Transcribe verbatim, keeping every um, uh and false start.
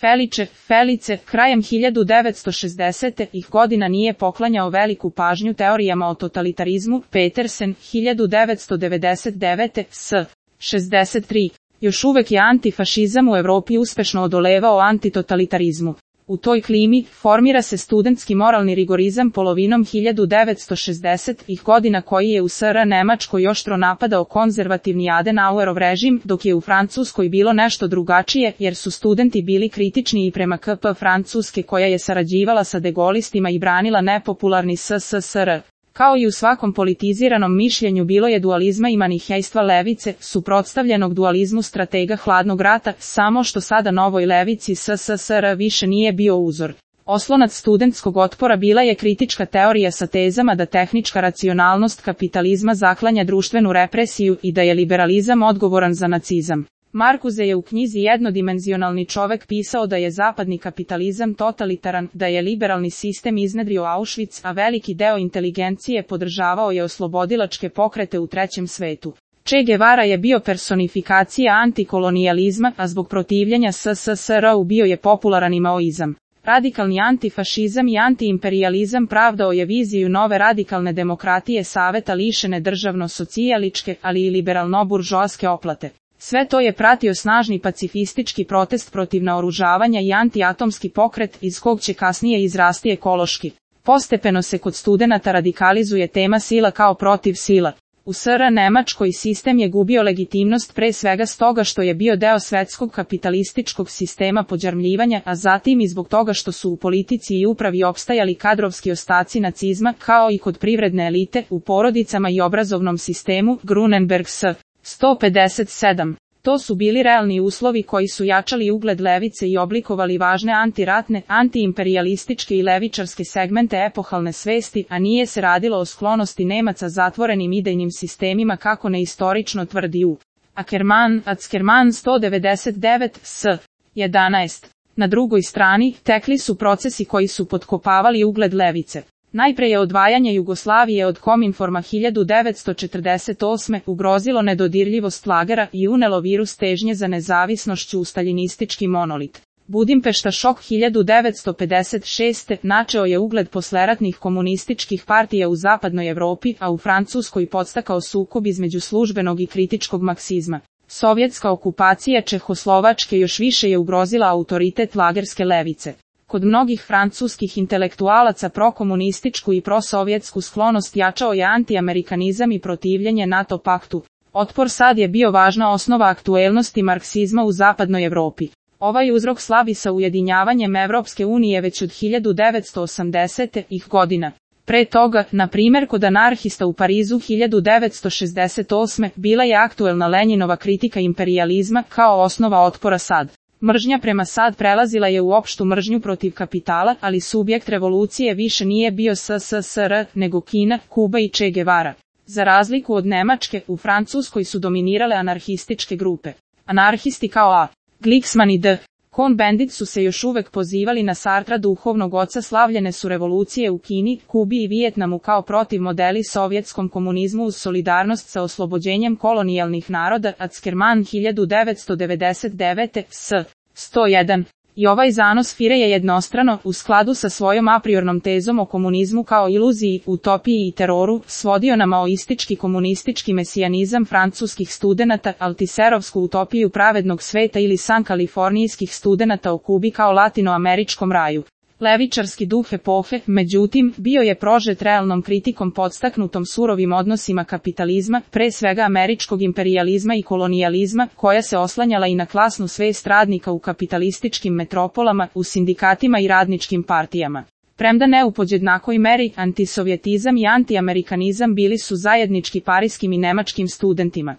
Felice, Felice, krajem hiljadu devetsto šezdesetih godina nije poklanjao veliku pažnju teorijama o totalitarizmu. Petersen, hiljadu devetsto devedeset devete. s. šezdeset tri. Još uvek je antifašizam u Evropi uspešno odolevao antitotalitarizmu. U toj klimi formira se studentski moralni rigorizam polovinom hiljadu devetsto šezdesetih godina koji je u S R Nemačkoj oštro napadao konzervativni Adenauerov režim, dok je u Francuskoj bilo nešto drugačije jer su studenti bili kritični i prema K P Francuske koja je sarađivala sa degolistima i branila nepopularni S S S R. Kao i u svakom politiziranom mišljenju bilo je dualizma i manihejstva levice, suprotstavljenog dualizmu stratega hladnog rata, samo što sada novoj levici S S S R više nije bio uzor. Oslonac studentskog otpora bila je kritička teorija sa tezama da tehnička racionalnost kapitalizma zaklanja društvenu represiju i da je liberalizam odgovoran za nacizam. Marcuse je u knjizi Jednodimenzionalni čovek pisao da je zapadni kapitalizam totalitaran, da je liberalni sistem iznedrio Auschwitz, a veliki deo inteligencije podržavao je oslobodilačke pokrete u trećem svetu. Che Guevara je bio personifikacija antikolonijalizma, a zbog protivljenja S S S R-u bio je popularan i maoizam. Radikalni antifašizam i antiimperijalizam pravdao je viziju nove radikalne demokratije saveta lišene državno-socijaličke, ali i liberalno-buržoaske oplate. Sve to je pratio snažni pacifistički protest protiv naoružavanja i antiatomski pokret iz kog će kasnije izrasti ekološki. Postepeno se kod studenata radikalizuje tema sila kao protiv sila. U S R Nemačkoj sistem je gubio legitimnost pre svega stoga što je bio deo svetskog kapitalističkog sistema podjarmljivanja, a zatim i zbog toga što su u politici i upravi opstajali kadrovski ostaci nacizma, kao i kod privredne elite, u porodicama i obrazovnom sistemu. Grunenberg s. sto pedeset sedam. To su bili realni uslovi koji su jačali ugled levice i oblikovali važne antiratne, antiimperijalističke i levičarske segmente epohalne svesti, a nije se radilo o sklonosti Nemaca zatvorenim idejnim sistemima kako neistorično tvrdi U. Ackermann, Ackermann sto devedeset devet. s. jedanaest. Na drugoj strani, tekli su procesi koji su potkopavali ugled levice. Najpre je odvajanje Jugoslavije od Kominforma hiljadu devetsto četrdeset osme ugrozilo nedodirljivost lagera i unelo virus težnje za nezavisnošću u staljinistički monolit. Budimpešta šok hiljadu devetsto pedeset šeste načeo je ugled posleratnih komunističkih partija u zapadnoj Evropi, a u Francuskoj podstakao sukob između službenog i kritičkog marksizma. Sovjetska okupacija Čehoslovačke još više je ugrozila autoritet lagerske levice. Kod mnogih francuskih intelektualaca prokomunističku i prosovjetsku sklonost jačao je antiamerikanizam i protivljenje NATO paktu. Otpor sad je bio važna osnova aktuelnosti marksizma u zapadnoj Evropi. Ovaj uzrok slavi sa ujedinjavanjem Evropske unije već od hiljadu devetsto osamdesetih godina. Pre toga, na primjer kod anarhista u Parizu hiljadu devetsto šezdeset osme bila je aktuelna Lenjinova kritika imperijalizma kao osnova otpora sad. Mržnja prema sad prelazila je u opštu mržnju protiv kapitala, ali subjekt revolucije više nije bio S S S R, nego Kina, Kuba i Che Guevara. Za razliku od Nemačke, u Francuskoj su dominirale anarhističke grupe. Anarhisti kao A. Glicksmann i D. Cohn-Bendit su se još uvek pozivali na Sartra, duhovnog oca slavljene su revolucije u Kini, Kubi i Vijetnamu kao protiv modeli sovjetskom komunizmu uz solidarnost sa oslobođenjem kolonijalnih naroda. Ackermann hiljadu devetsto devedeset devete. s. sto jedan. I ovaj zanos Fire je jednostrano, u skladu sa svojom apriornom tezom o komunizmu kao iluziji, utopiji i teroru, svodio na maoistički komunistički mesijanizam francuskih studenata, altiserovsku utopiju pravednog sveta ili san kalifornijskih studenata o Kubi kao latinoameričkom raju. Levičarski duh epohe, međutim, bio je prožet realnom kritikom podstaknutom surovim odnosima kapitalizma, pre svega američkog imperijalizma i kolonijalizma, koja se oslanjala i na klasnu svest radnika u kapitalističkim metropolama, u sindikatima i radničkim partijama. Premda ne u podjednakoj meri, antisovjetizam i antiamerikanizam bili su zajednički parijskim i nemačkim studentima.